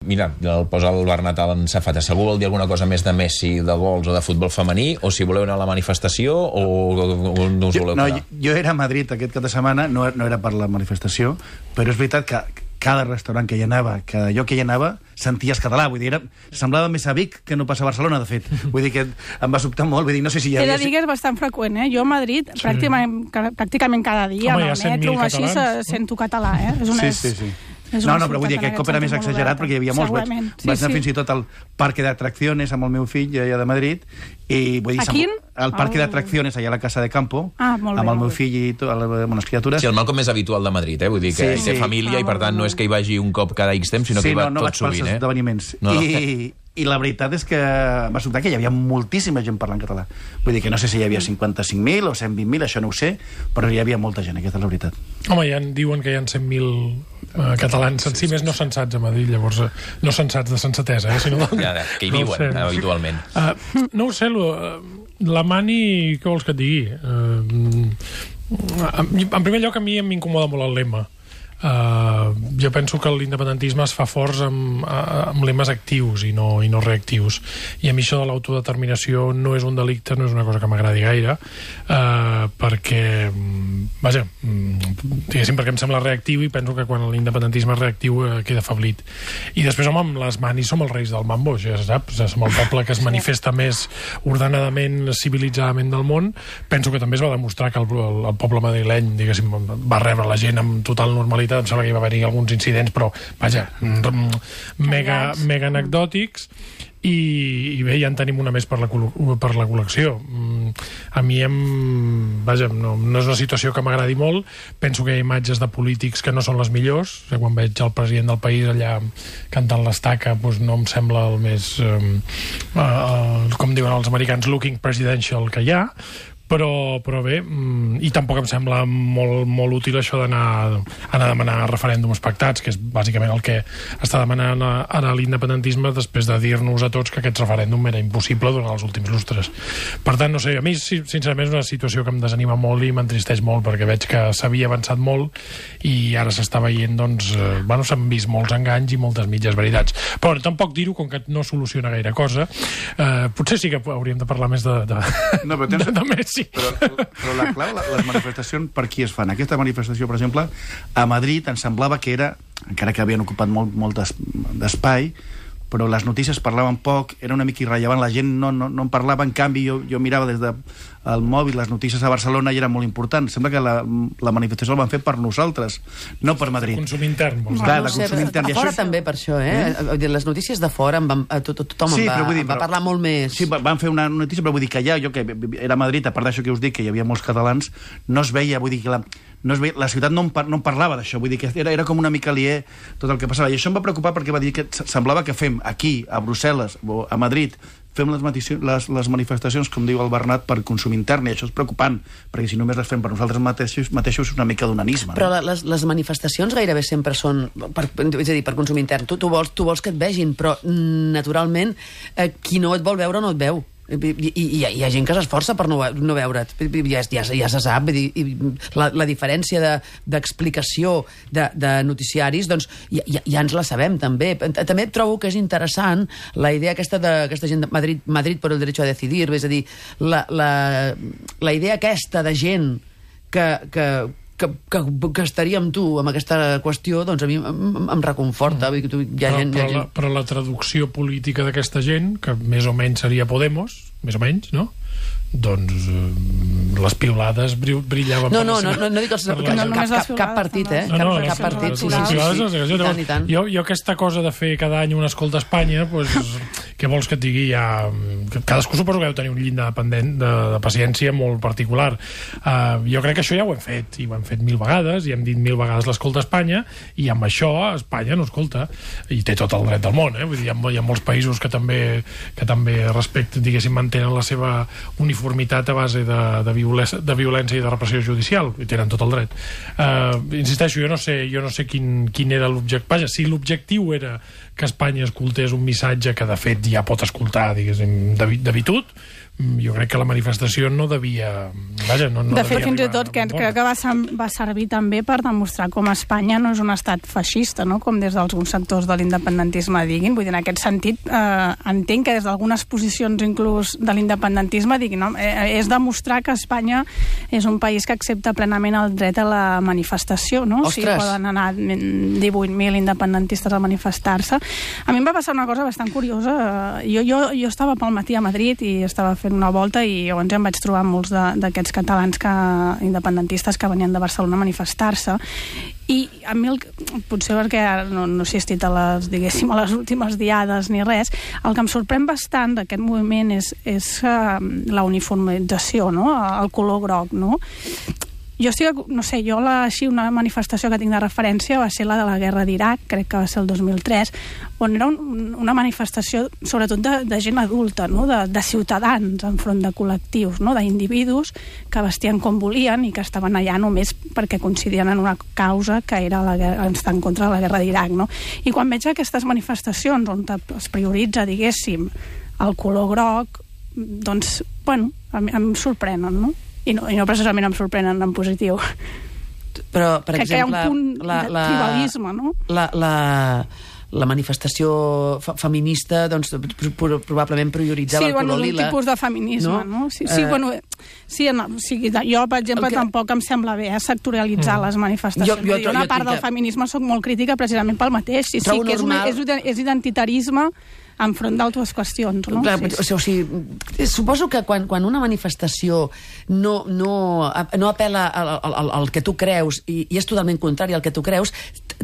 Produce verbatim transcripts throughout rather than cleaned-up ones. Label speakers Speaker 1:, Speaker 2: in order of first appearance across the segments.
Speaker 1: mira, el posa el Bernat en safata. Si algú vol dir alguna cosa més de Messi, de gols o de futbol femení, o si voleu anar a la manifestació o, o, o no us voleu
Speaker 2: no,
Speaker 1: quedar?
Speaker 2: Jo era a Madrid aquest cap de setmana, no, no era per la manifestació, però és veritat que cada restaurant que hi anava, cada lloc que hi anava, senties català, vull dir, era, semblava més a Vic que no passa a Barcelona, de fet. Vull dir que em va sobtar molt, vull dir, no sé si hi havia...
Speaker 3: He de dir que és bastant freqüent, eh? Jo a Madrid, sí. pràcticament, pràcticament cada dia,
Speaker 4: home,
Speaker 3: amb el metro o així, sento català, eh? És una,
Speaker 2: sí, sí, sí.
Speaker 3: No,
Speaker 2: no, però vull dir que aquest cop era més exagerat perquè hi havia molts. Vaig, sí, vaig anar sí. fins i tot al Parque de Atracciones amb el meu fill allà de Madrid. I, vull dir,
Speaker 3: a quin?
Speaker 2: Al Parque oh. de Atracciones, allà a la Casa de Campo,
Speaker 3: ah, molt bé,
Speaker 2: amb el meu
Speaker 3: molt
Speaker 2: fill i tot, amb les criatures.
Speaker 1: Sí, el Malcom és habitual de Madrid, eh? Vull dir que sí, té sí. família ah, i per tant no és que hi vagi un cop cada X temps, sinó
Speaker 2: sí,
Speaker 1: que hi va
Speaker 2: no, no
Speaker 1: tot sovint.
Speaker 2: Sí, no, no vaig pels esdeveniments.
Speaker 1: No.
Speaker 2: I, I la veritat és que va sobtar que hi havia moltíssima gent parlant català. Vull dir que no sé si hi havia cinquanta-cinc mil o cent vint mil, això no ho sé, però hi havia molta gent, aquesta és la veritat.
Speaker 4: Home, ja diuen que hi ha cent mil uh, catalans, en si més no censats a Madrid, llavors uh, no censats de sensatesa, eh, sinó de...
Speaker 1: Ja, que hi viuen, no habitualment.
Speaker 4: Uh, no ho sé, lo, uh, la Mani, què vols que et digui? Uh, en primer lloc, a mi m'incomoda molt el lema. Uh, jo penso que l'independentisme es fa forts amb, amb lemes actius i no, i no reactius, i a mi això de l'autodeterminació no és un delicte, no és una cosa que m'agradi gaire, uh, perquè vaja, diguéssim, perquè em sembla reactiu, i penso que quan l'independentisme és reactiu uh, queda afeblit. I després, home, amb les Manis som els reis del mambo, ja saps, som el poble que es manifesta més ordenadament, civilitzadament del món. Penso que també es va demostrar que el, el, el poble madrileny, diguéssim, va rebre la gent amb total normalitat. Em sembla que hi va haver alguns incidents, però, vaja, mega, mega anecdòtics, i, i bé, ja en tenim una més per la, per la col·lecció. A mi em... Vaja, no, no és una situació que m'agradi molt. Penso que hi ha imatges de polítics que no són les millors. O sigui, quan veig el president del país allà cantant l'estaca, doncs no em sembla el més... Eh, eh, com diuen els americans, looking presidential que hi ha. Però, però bé, i tampoc em sembla molt, molt útil això d'anar a demanar referèndums pactats, que és bàsicament el que està demanant ara l'independentisme després de dir-nos a tots que aquest referèndum era impossible durant els últims lustres. Per tant, no sé, a mi sincerament és una situació que em desanima molt i m'entristeix molt, perquè veig que s'havia avançat molt i ara s'està veient, doncs, eh, bueno, s'han vist molts enganys i moltes mitges veritats. Però tampoc dir-ho, com que no soluciona gaire cosa, eh, potser sí que hauríem de parlar més de, de, no, però tens... de, de Messi.
Speaker 2: Però, però la clau, les manifestacions per qui es fan? Aquesta manifestació, per exemple, a Madrid em semblava que era, encara que havien ocupat molt, molt d'espai, però les notícies parlaven poc, era una mica irrellevant, la gent no, no, no en parlava, en canvi jo, jo mirava des del de mòbil les notícies a Barcelona i era molt important. Sembla que la, la manifestació la van fer per nosaltres, no per Madrid.
Speaker 4: De consum intern, vols dir?
Speaker 2: Clar, de consum intern.
Speaker 5: A fora això... també per això, eh? eh? Les notícies de fora, van, tot, tothom sí, en va, dir, va però, parlar molt més.
Speaker 2: Sí, van fer una notícia, però vull dir que allà, jo que era a Madrid, a part d'això que us dic, que hi havia molts catalans, no es veia, vull dir que la... No es veia, la ciutat no en, par, no en parlava d'això, vull dir que era, era com una mica aliè tot el que passava, i això em va preocupar perquè va dir que semblava que fem aquí, a Brussel·les o a Madrid, fem les, les, les manifestacions, com diu el Bernat, per consum intern, i això és preocupant, perquè si només les fem per nosaltres mateixos, mateixos és una mica d'unanisme.
Speaker 5: Però no? les, les manifestacions gairebé sempre són, per, és a dir, per consum intern. Tu, tu, vols, tu vols que et vegin, però naturalment eh, qui no et vol veure no et veu. I, i, i hi ha gent que s'esforça per no, no veure't, ja, ja, ja se sap, i, i la, la diferència d'explicació de, de, de noticiaris, doncs ja, ja, ja ens la sabem també. També trobo que és interessant la idea aquesta d'aquesta gent de Madrid, Madrid por el derecho a decidir, és a dir, la, la, la idea aquesta de gent que, que Que, que, que estaria amb tu amb aquesta qüestió, doncs a mi em, em reconforta. Mm. Hi ha
Speaker 4: però,
Speaker 5: gent,
Speaker 4: però,
Speaker 5: hi ha gent...
Speaker 4: la, però la traducció política d'aquesta gent, que més o menys seria Podemos, més o menys, no? Doncs eh, les piulades brillaven
Speaker 5: no,
Speaker 4: per
Speaker 5: no,
Speaker 4: la seva...
Speaker 5: No, no, no dic els...
Speaker 4: No,
Speaker 5: cap, cap, cap, cap partit, eh?
Speaker 4: No, no,
Speaker 5: cap, cap partit, sí, sí, sí, sí, sí.
Speaker 4: I tant, i tant. Jo, jo aquesta cosa de fer cada any una escolta a Espanya, doncs, què vols que et digui? Ja, cadascú suposo que deu tenir un llindar dependent de, de paciència molt particular. Uh, jo crec que això ja ho hem fet, i ho hem fet mil vegades, i hem dit mil vegades l'escolta a Espanya, i amb això Espanya no escolta, i té tot el dret del món, eh? Vull dir, hi ha, hi ha molts països que també, que també respecten, diguéssim, mantenen la seva uniformitat a base de, de, violència, de violència i de repressió judicial, i tenen tot el dret. Uh, insisteixo, jo no sé, jo no sé quin, quin era l'objectiu. Vaja, si l'objectiu era que Espanya escoltés un missatge que, de fet, ja pot escoltar, diguéssim, d'habitud. Jo crec que la manifestació no devia... Vaja, no, no
Speaker 3: de fet,
Speaker 4: devia
Speaker 3: fins i
Speaker 4: arribar
Speaker 3: tot, que
Speaker 4: a bon
Speaker 3: crec que va, va servir també per demostrar com Espanya no és un estat feixista, no? Com des d'alguns sectors de l'independentisme diguin. Vull dir, en aquest sentit, eh, entenc que des d'algunes posicions inclús de l'independentisme diguin, no? Eh, és demostrar que Espanya és un país que accepta plenament el dret a la manifestació, no?
Speaker 5: Ostres!
Speaker 3: O sigui, poden anar divuit mil independentistes a manifestar-se. A mi em va passar una cosa bastant curiosa. Jo, jo, jo estava pel matí a Madrid i estava fent una volta i llavors em vaig trobar molts d'aquests catalans que, independentistes que venien de Barcelona a manifestar-se i a mi, el, potser perquè no, no he assistit a les, diguéssim, a les últimes diades ni res, el que em sorprèn bastant d'aquest moviment és, és uh, la uniformització, no? El color groc, no? Jo estic, no sé, jo la, així una manifestació que tinc de referència va ser la de la guerra d'Iraq, crec que va ser el dos mil tres, on era un, una manifestació sobretot de, de gent adulta, no? de, de ciutadans enfront de col·lectius, no? d'individus que vestien com volien i que estaven allà només perquè coincidien en una causa que era la guerra, estar en contra de la guerra d'Iraq. No? I quan veig aquestes manifestacions on es prioritza, diguéssim, el color groc, doncs, bueno, a mi, em sorprenen, no? I no, i no precisament em sorprenen en positiu.
Speaker 5: Però, per
Speaker 3: Crec
Speaker 5: exemple...
Speaker 3: que hi ha un punt
Speaker 5: la,
Speaker 3: de
Speaker 5: la,
Speaker 3: tribalisme, no?
Speaker 5: La, la, la manifestació fe feminista, doncs, pro probablement prioritzava
Speaker 3: sí,
Speaker 5: el
Speaker 3: bueno,
Speaker 5: color
Speaker 3: lila. Sí,
Speaker 5: un
Speaker 3: tipus de feminisme, no? no? Sí, sí, uh, bueno... Sí, no, o sigui, jo, per exemple, que... tampoc em sembla bé eh, sectorialitzar mm. les manifestacions. Jo, jo, jo, una part jo, del feminisme soc molt crítica precisament pel mateix. Sí, sí, que és, una, és, és identitarisme enfront d'altres qüestions, no?
Speaker 5: Clar,
Speaker 3: sí, sí.
Speaker 5: O sigui, suposo que quan, quan una manifestació no, no, no apela al, al, al que tu creus i, i és totalment contrari al que tu creus,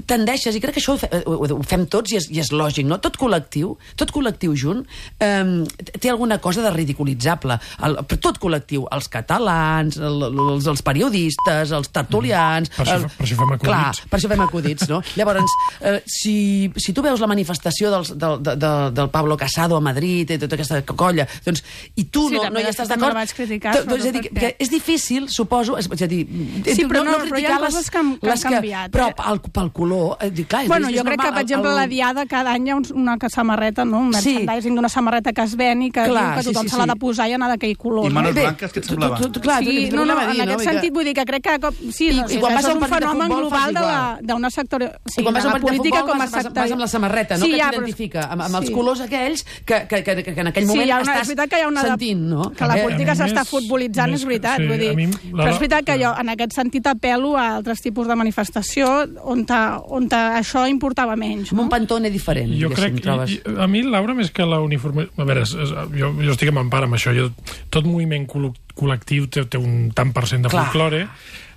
Speaker 5: tendeixes, i crec que això ho, fe, ho fem tots i és, i és lògic, no? Tot col·lectiu, tot col·lectiu junt, eh, té alguna cosa de ridiculitzable. El, tot col·lectiu, els catalans, el, els, els periodistes, els tertulians...
Speaker 4: Per això,
Speaker 5: el,
Speaker 4: per això fem acudits.
Speaker 5: Clar, per això fem acudits, no? Llavors, eh, si, si tu veus la manifestació dels, del, de, de, del Pablo Casado a Madrid i tota aquesta colla, doncs, i tu
Speaker 3: sí,
Speaker 5: no, no hi estàs d'acord...
Speaker 3: Sí, vaig criticar,
Speaker 5: doncs, és, a dir, que és difícil, suposo... És, és a dir,
Speaker 3: sí, però, no,
Speaker 5: no, no
Speaker 3: però hi ha coses que han, que han canviat.
Speaker 5: Però
Speaker 3: eh?
Speaker 5: pel, pel color... Eh, clar,
Speaker 3: bueno,
Speaker 5: és,
Speaker 3: jo
Speaker 5: és
Speaker 3: crec
Speaker 5: normal,
Speaker 3: que, per exemple, el, el... la Diada cada any hi ha una samarreta, no? Un merchandising sí. d'una samarreta que es ven i que, clar, diu que tothom sí, sí, se l'ha de posar i anar d'aquell color.
Speaker 2: I manos
Speaker 3: no?
Speaker 2: blanques, que et semblava?
Speaker 5: Tu, tu, clar,
Speaker 3: sí,
Speaker 5: tu,
Speaker 3: no, no,
Speaker 5: dir,
Speaker 3: en aquest
Speaker 5: no?
Speaker 3: sentit vull dir que crec que... Sí,
Speaker 5: I,
Speaker 3: no,
Speaker 5: i quan
Speaker 3: això
Speaker 5: vas
Speaker 3: és un fenomen global d'una sector...
Speaker 5: Sí, quan vas a un partit de futbol vas, vas, vas amb la samarreta, no?
Speaker 3: Sí,
Speaker 5: que
Speaker 3: ja,
Speaker 5: t'identifica amb, amb
Speaker 3: sí.
Speaker 5: els colors aquells que, que, que, que en aquell moment
Speaker 3: sí, una,
Speaker 5: estàs
Speaker 3: és que hi ha una
Speaker 5: sentint, no?
Speaker 3: Que la política
Speaker 4: eh,
Speaker 3: s'està
Speaker 4: més,
Speaker 3: futbolitzant,
Speaker 4: més,
Speaker 3: és veritat,
Speaker 4: sí,
Speaker 3: vull dir.
Speaker 4: mi, la,
Speaker 3: però és veritat que jo, en aquest sentit, apel·lo a altres tipus de manifestació on, ta, on ta, això importava menys.
Speaker 5: No?
Speaker 3: No?
Speaker 5: Un pantone diferent,
Speaker 4: jo crec, i, i, a mi, Laura, més que la uniforme... A veure, és, és, jo, jo estic en empara amb això. Jo, tot moviment col·lectiu té, té un tant per cent de folklore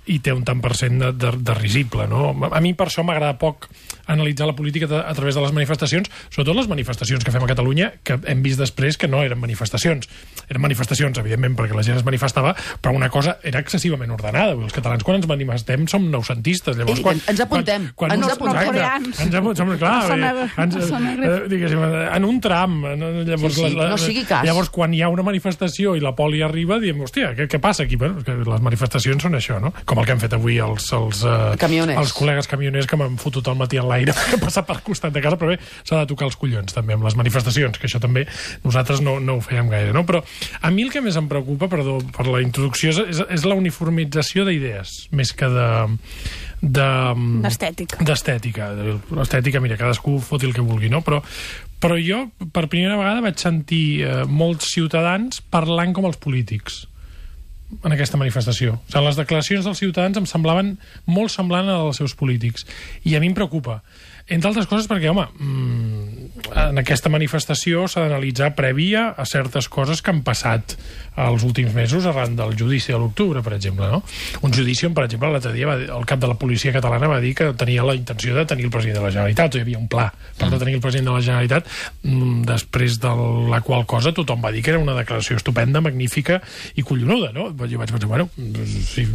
Speaker 4: i té un tant per cent de, de, de risible, no? A mi per això m'agrada poc analitzar la política a, a través de les manifestacions, sobretot les manifestacions que fem a Catalunya, que hem vist després que no eren manifestacions. Eren manifestacions, evidentment, perquè la gent es manifestava, però una cosa era excessivament ordenada. Els catalans, quan ens manifestem, som noucentistes. Llavors, quan,
Speaker 5: ens apuntem.
Speaker 4: Quan, quan
Speaker 5: ens
Speaker 4: nos,
Speaker 5: apuntem.
Speaker 3: Coreans.
Speaker 4: Ens apuntem, clar. Ens, eh, diguéssim, en un tram. Llavors,
Speaker 5: sí, sí,
Speaker 4: la, la,
Speaker 5: no sigui cas.
Speaker 4: Llavors, quan hi ha una manifestació i la poli arriba, diem, hòstia, què, què passa aquí? Bueno, que les manifestacions són això, no? Com el que hem fet avui els, els, uh, els col·legues camioners que m'han fotut al matí en l'aire per passar per costat de casa, però bé, s'ha de tocar els collons també amb les manifestacions, que això també nosaltres no, no ho fèiem gaire, no? Però a mi el que més em preocupa, perdó per la introducció, és, és la uniformització d'idees, més que de...
Speaker 3: d'estètica.
Speaker 4: D'estètica. L'estètica, mira, cadascú foti el que vulgui, no? Però, però jo, per primera vegada, vaig sentir eh, molts ciutadans parlant com els polítics en aquesta manifestació. O sigui, les declaracions dels ciutadans em semblaven molt semblant a les dels seus polítics. I a mi em preocupa. Entre altres coses perquè, home, en aquesta manifestació s'ha d'analitzar prèvia a certes coses que han passat els últims mesos arran del judici de l'octubre, per exemple, no? Un judici on, per exemple, l'altre dia va dir, el cap de la policia catalana va dir que tenia la intenció de tenir el president de la Generalitat, o hi havia un pla per de tenir el president de la Generalitat, després de la qual cosa tothom va dir que era una declaració estupenda, magnífica i collonuda, no? Jo vaig pensar, bueno, sí,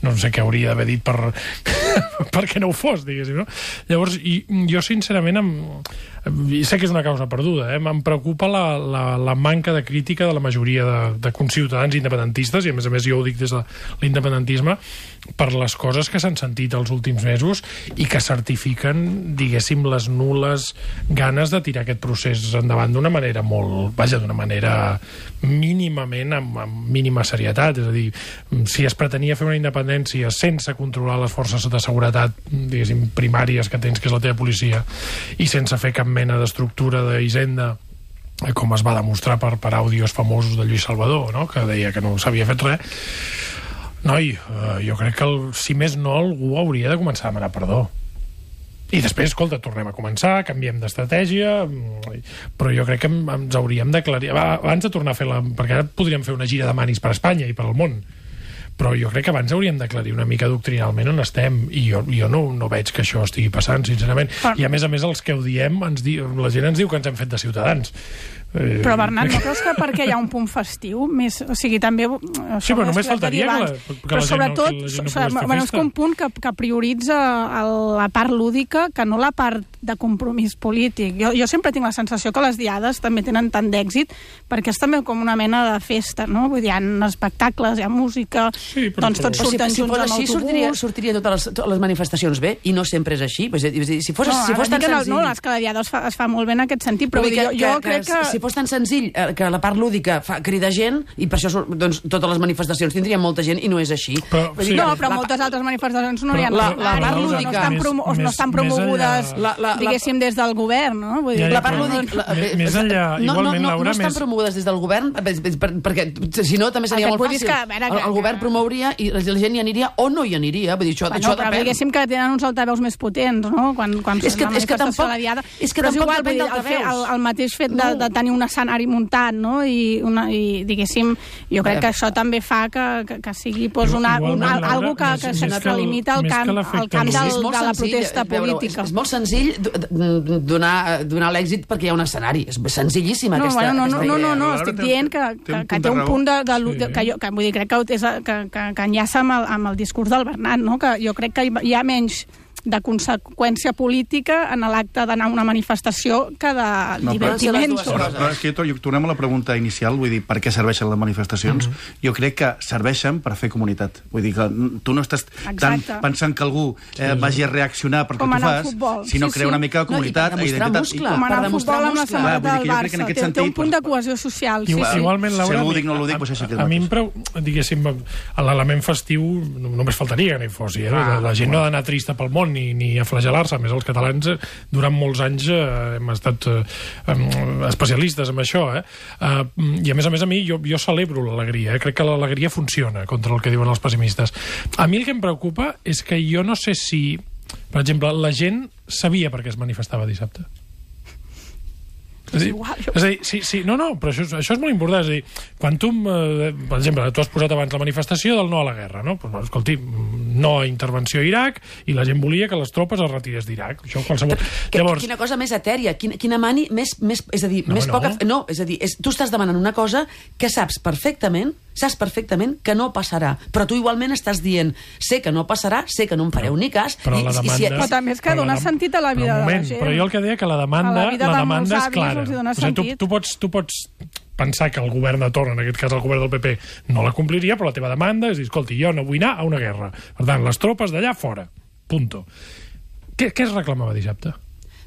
Speaker 4: no sé què hauria d'haver dit per perquè no ho fos, diguéssim, no? Llavors, i jo sincerament em, sé que és una causa perduda, eh? Em preocupa la, la, la manca de crítica de la majoria de, de conciutadans independentistes, i a més a més jo ho dic des de l'independentisme, per les coses que s'han sentit els últims mesos i que certifiquen, diguéssim, les nules ganes de tirar aquest procés endavant d'una manera molt, vaja, d'una manera mínimament, amb, amb mínima serietat. És a dir, si es pretenia fer una independència sense controlar les forces de seguretat, diguéssim, primàries que tens, que és la teva policia, i sense fer cap mena d'estructura d'hisenda, com es va demostrar per, per àudios famosos de Lluís Salvador, no?, que deia que no s'havia fet res. Noi, eh, jo crec que, el, si més no, algú hauria de començar a demanar perdó. I després, escolta, tornem a començar, canviem d'estratègia, però jo crec que ens hauríem d'aclarir... Abans de tornar a fer la... Perquè ara podríem fer una gira de manis per Espanya i per al món, però jo crec que abans hauríem d'aclarir una mica doctrinalment on estem, i jo, jo no, no veig que això estigui passant, sincerament. Però... I a més a més, els que ho diem, ens di... la gent ens diu que ens hem fet de ciutadans. Eh...
Speaker 3: Però, Bernat, no creus que perquè hi ha un punt festiu? Més, o sigui, també...
Speaker 4: Sí, però només faltaria que la, que
Speaker 3: però
Speaker 4: la
Speaker 3: sobretot,
Speaker 4: gent no, que la gent no
Speaker 3: o sigui,
Speaker 4: pogués fer
Speaker 3: bueno, és
Speaker 4: festa.
Speaker 3: un punt que, que prioritza el, la part lúdica que no la part de compromís polític. Jo, jo sempre tinc la sensació que les diades també tenen tant d'èxit perquè és també com una mena de festa, no? Vull dir, hi ha espectacles, hi ha música,
Speaker 4: sí, però,
Speaker 3: doncs tots
Speaker 4: però...
Speaker 3: surten
Speaker 5: si, si
Speaker 3: junts
Speaker 5: fos
Speaker 3: amb
Speaker 5: així,
Speaker 3: autobús...
Speaker 5: sortiria, sortiria totes les, totes les manifestacions bé, i no sempre és així. És a dir, si fos,
Speaker 3: no,
Speaker 5: si fos tan senzill...
Speaker 3: No, és que la diada es fa, es fa molt bé en aquest sentit, però, però
Speaker 5: que,
Speaker 3: jo, jo
Speaker 5: que,
Speaker 3: crec que...
Speaker 5: Si fos tan senzill que la part lúdica fa cridar gent, i per això doncs, totes les manifestacions tindrien molta gent, i no és així.
Speaker 4: Però, sí.
Speaker 3: No, però la, moltes altres manifestacions no hi ha
Speaker 5: la, la part
Speaker 3: no,
Speaker 5: lúdica...
Speaker 3: no estan, promo
Speaker 4: més,
Speaker 3: no estan
Speaker 4: més
Speaker 3: promogudes,
Speaker 4: enllà...
Speaker 5: la, la,
Speaker 3: diguéssim, des del govern, no? Vull dir,
Speaker 4: Ja, ja,
Speaker 5: la part
Speaker 4: però-
Speaker 5: lúdica... La,
Speaker 4: Més- més enllà,
Speaker 5: no,
Speaker 4: igualment,
Speaker 5: no, no,
Speaker 4: Laura,
Speaker 5: no estan
Speaker 4: més-
Speaker 5: promogudes des del govern, per, per, perquè si no també seria
Speaker 3: El que
Speaker 5: molt
Speaker 3: et vull dir
Speaker 5: fàcil.
Speaker 3: és que, a veure,
Speaker 5: el,
Speaker 3: que-
Speaker 5: el govern promouria i la gent hi aniria o no hi aniria. Vull dir, això,
Speaker 3: bueno,
Speaker 5: això
Speaker 3: però
Speaker 5: depèn.
Speaker 3: diguéssim que tenen uns altaveus més potents, no? Quan, quan
Speaker 5: És que-
Speaker 3: una
Speaker 5: és que
Speaker 3: manifestació
Speaker 5: tampoc-
Speaker 3: a la diada.
Speaker 5: és que
Speaker 3: però
Speaker 5: tampoc
Speaker 3: igual,
Speaker 5: depèn
Speaker 3: vull dir, el, fet, el,
Speaker 5: d'altaveus.
Speaker 3: el mateix fet de,
Speaker 5: No.
Speaker 3: de tenir un escenari muntat, no? I, una, i diguéssim, jo crec que això també fa que, que, que sigui pues, una,
Speaker 4: Igualment,
Speaker 3: una,
Speaker 4: Laura,
Speaker 3: algo que,
Speaker 4: més-
Speaker 3: que
Speaker 4: més que el-
Speaker 3: s'extralimita al
Speaker 4: més que
Speaker 3: camp,
Speaker 4: l'efecte
Speaker 3: al camp
Speaker 4: lúdic.
Speaker 3: del,
Speaker 5: És molt
Speaker 3: de la
Speaker 5: senzill,
Speaker 3: protesta
Speaker 5: veure,
Speaker 3: política.
Speaker 5: És, és molt senzill d- donar, donar l'èxit perquè hi ha un escenari. És senzillíssima
Speaker 3: No,
Speaker 5: aquesta,
Speaker 3: bueno, no, no,
Speaker 5: aquesta
Speaker 3: no,
Speaker 5: idea.
Speaker 3: no, no,
Speaker 2: Laura
Speaker 3: estic
Speaker 2: té-
Speaker 3: dient que,
Speaker 2: té un
Speaker 3: que, que
Speaker 2: punt
Speaker 3: té
Speaker 2: de
Speaker 3: un
Speaker 2: raó.
Speaker 3: punt de... de,
Speaker 4: Sí.
Speaker 3: de que, jo, que vull dir, crec que, és, que, que, que enllaça amb el, amb el discurs del Bernat, no? Que jo crec que hi ha menys de conseqüència política en l'acte d'anar a una manifestació que de
Speaker 2: No, però-
Speaker 3: divertiment.
Speaker 5: Però-
Speaker 2: Però, però és que to- tornem a la pregunta inicial, vull dir, per què serveixen les manifestacions? Mm-hmm. Jo crec que serveixen per fer comunitat. Vull dir que tu no estàs tan
Speaker 3: Exacte.
Speaker 2: pensant que algú eh, vagi a reaccionar perquè
Speaker 3: Com
Speaker 2: tu
Speaker 3: anar al
Speaker 2: fas,
Speaker 3: futbol.
Speaker 2: sinó
Speaker 3: Sí,
Speaker 2: crear
Speaker 3: sí.
Speaker 2: una mica de
Speaker 5: No, i per
Speaker 2: comunitat,
Speaker 5: demostrar
Speaker 2: identitat.
Speaker 5: muscle.
Speaker 3: Com anar
Speaker 5: Per
Speaker 3: al
Speaker 5: demostrar
Speaker 3: futbol amb la
Speaker 5: muscle.
Speaker 3: samarreta
Speaker 2: Clar, vull dir
Speaker 3: del
Speaker 2: que jo crec que en
Speaker 3: Barça.
Speaker 2: aquest
Speaker 3: Té, té un
Speaker 2: sentit,
Speaker 3: punt de
Speaker 2: però-
Speaker 3: cohesió social. Sí,
Speaker 4: Igual,
Speaker 3: sí.
Speaker 4: Igualment, Laura,
Speaker 2: Si algú dic no ho dic, doncs això sí que és
Speaker 4: a mi em
Speaker 2: mateix.
Speaker 4: preu, diguéssim, l'element festiu no- només faltaria que no hi fos. Eh? La, la gent no ha d'anar trista pel món ni, ni a flagelar-se. A més, els catalans, eh, durant molts anys, eh, hem estat eh, em, especialistes en això. Eh? Eh, I, a més a més, a mi, jo, jo celebro l'alegria. Eh? Crec que l'alegria funciona contra el que diuen els pessimistes. A mi el que em preocupa és que jo no sé si, per exemple, la gent sabia per què es manifestava dissabte. És, dir,
Speaker 3: igual,
Speaker 4: és a dir, sí, sí, no, no, però això, és- això és molt important. És a dir, quan tu, eh, per exemple, tu has posat abans la manifestació del no a la guerra, no? Pues, escolti, no a intervenció a Iraq, i la gent volia que les tropes es retirés d'Iraq. Això qualsevol...
Speaker 5: Que,
Speaker 4: Llavors,
Speaker 5: quina cosa més etèria, quina, quina mani més, més... És a dir,
Speaker 4: No,
Speaker 5: més
Speaker 4: no.
Speaker 5: poca... No, és a dir, és, tu estàs demanant una cosa que saps perfectament, saps perfectament que no passarà, però tu igualment estàs dient, sé que no passarà, sé que no em fareu ni cas...
Speaker 4: però
Speaker 5: i,
Speaker 4: la
Speaker 5: i,
Speaker 4: demanda...
Speaker 5: si,
Speaker 3: Però també és que
Speaker 4: però
Speaker 3: dona
Speaker 4: la dem-
Speaker 3: sentit a la vida
Speaker 4: però un
Speaker 3: de la
Speaker 4: moment,
Speaker 3: gent.
Speaker 4: Però jo el que deia que la demanda,
Speaker 3: A la vida
Speaker 4: la
Speaker 3: de
Speaker 4: demanda
Speaker 3: molts
Speaker 4: és
Speaker 3: avis
Speaker 4: clara.
Speaker 3: els hi dona
Speaker 4: O sigui, tu,
Speaker 3: sentit.
Speaker 4: tu, pots, tu pots pensar que el govern de torn, en aquest cas el govern del P P, no la compliria, però la teva demanda és dir, escolti, jo no vull anar a una guerra. Per tant, les tropes d'allà fora. Punto. Què, què es reclamava dissabte?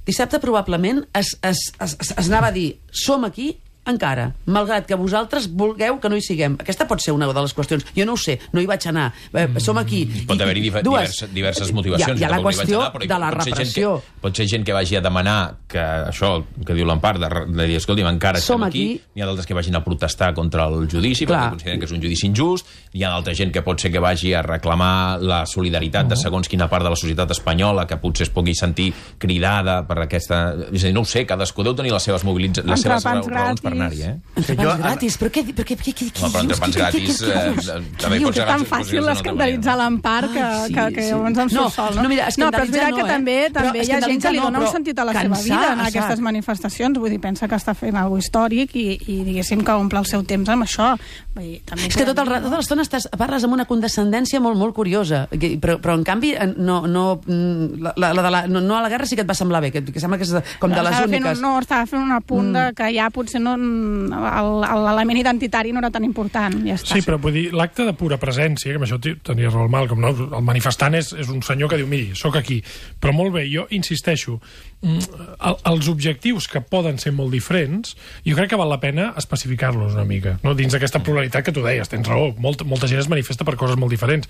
Speaker 5: Dissabte probablement es, es, es, es, es anava a dir, som aquí encara, malgrat que vosaltres vulgueu que no hi siguem. Aquesta pot ser una de les qüestions. Jo no ho sé, no hi vaig anar. Eh, som aquí.
Speaker 1: Pot haver-hi
Speaker 5: I-
Speaker 1: diver-
Speaker 5: dues.
Speaker 1: diverses, diverses motivacions.
Speaker 5: Hi ha, hi ha la
Speaker 1: Tampoc n'hi vaig
Speaker 5: qüestió
Speaker 1: anar, però
Speaker 5: de la
Speaker 1: pot ser gent
Speaker 5: repressió.
Speaker 1: Que, pot ser gent que vagi a demanar que això, que diu l'Empar, de, de dir, escolti'm, encara
Speaker 5: Som
Speaker 1: estem aquí.
Speaker 5: aquí.
Speaker 1: N'hi ha d'altres que vagin a protestar contra el judici,
Speaker 5: Clar.
Speaker 1: perquè consideren que és un judici injust. Hi ha d'altra gent que pot ser que vagi a reclamar la solidaritat de segons quina part de la societat espanyola, que potser es pugui sentir cridada per aquesta... És a dir, no ho sé, cadascú deu tenir les seves, mobilitza... les seves
Speaker 3: Entrepans
Speaker 1: raons per
Speaker 3: gratis.
Speaker 1: anar-hi, eh?
Speaker 5: Entrepans
Speaker 2: Jo-
Speaker 5: gratis, però què, però què, què, què, què
Speaker 1: Home, però
Speaker 5: dius?
Speaker 1: entrepans
Speaker 5: Què- què-
Speaker 1: gratis,
Speaker 5: què- què
Speaker 1: eh,
Speaker 5: dius?
Speaker 1: també
Speaker 3: Diu
Speaker 1: pot
Speaker 3: que
Speaker 1: ser
Speaker 3: és tan
Speaker 1: gratis,
Speaker 3: fàcil
Speaker 1: potser és una altra
Speaker 3: escandalitzar
Speaker 1: manera.
Speaker 3: l'Empar que,
Speaker 5: Ah,
Speaker 3: que, que
Speaker 5: sí.
Speaker 3: llavors em
Speaker 5: No,
Speaker 3: surt sol, no?
Speaker 5: no, mira,
Speaker 3: no, però és veritat
Speaker 5: escandalitzar
Speaker 3: que
Speaker 5: no, eh?
Speaker 3: també,
Speaker 5: Però
Speaker 3: també hi ha gent que
Speaker 5: escandalitzar
Speaker 3: li
Speaker 5: no,
Speaker 3: dona un
Speaker 5: però
Speaker 3: sentit a la seva
Speaker 5: cansar,
Speaker 3: vida en
Speaker 5: exacte.
Speaker 3: aquestes manifestacions. Vull dir, pensa que està fent alguna històric i, i diguéssim que omple el seu temps amb això. Vull dir, també
Speaker 5: És que tot el, ra- tota l'estona estàs, parles amb una condescendència molt, molt curiosa, que- però, però en canvi eh, no, no, la, la, la de la, no, no a la guerra sí que et va semblar bé, que, que sembla que és de, com de les
Speaker 3: Estava fent
Speaker 5: úniques.
Speaker 3: un, no, estava fent un apunt de que ja potser no, l'element identitari no era tan important, ja està.
Speaker 4: Sí, però vull dir, l'acte de pura presència, que amb això tenia raó el Malcolm, no? El manifestant és, és un senyor que diu, miri, sóc aquí. Però molt bé, jo insisteixo, el, els objectius que poden ser molt diferents, jo crec que val la pena especificar-los una mica, no? Dins d'aquesta pluralitat que tu deies, tens raó, molta, molta gent es manifesta per coses molt diferents.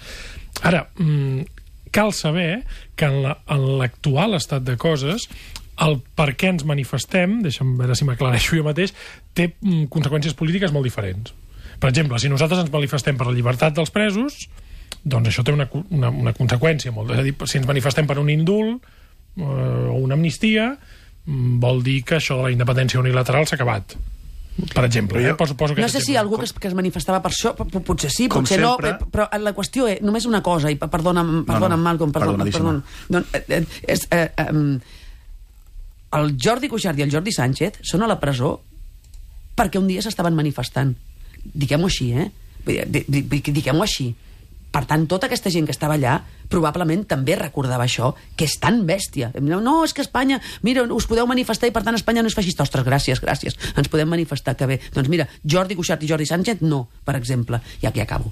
Speaker 4: Ara, cal saber que en l'actual estat de coses el per què ens manifestem, deixa'm veure si m'aclareixo jo mateix, té mm, conseqüències polítiques molt diferents. Per exemple, si nosaltres ens manifestem per la llibertat dels presos, doncs això té una, una, una conseqüència molt. És a dir, si ens manifestem per un indult eh, o una amnistia, vol dir que això de la independència unilateral s'ha acabat. Per exemple, jo, eh? poso, poso
Speaker 5: no sé si algú que es, que es manifestava per això, potser sí, potser no, però la qüestió és només una cosa, i perdona'm, perdona'm no, no. Malcolm, perdona, perdona. No, eh, és, eh, eh, el Jordi Cuixart i el Jordi Sánchez són a la presó perquè un dia s'estaven manifestant. Diguem-ho així, eh? Diguem-ho així. Per tant, tota aquesta gent que estava allà probablement també recordava això, que és tan bèstia. No, és que Espanya, mira, us podeu manifestar i per tant Espanya no és feixista. Ostres, gràcies, gràcies. Ens podem manifestar, que bé. Doncs mira, Jordi Cuixart i Jordi Sánchez no, per exemple. I aquí acabo.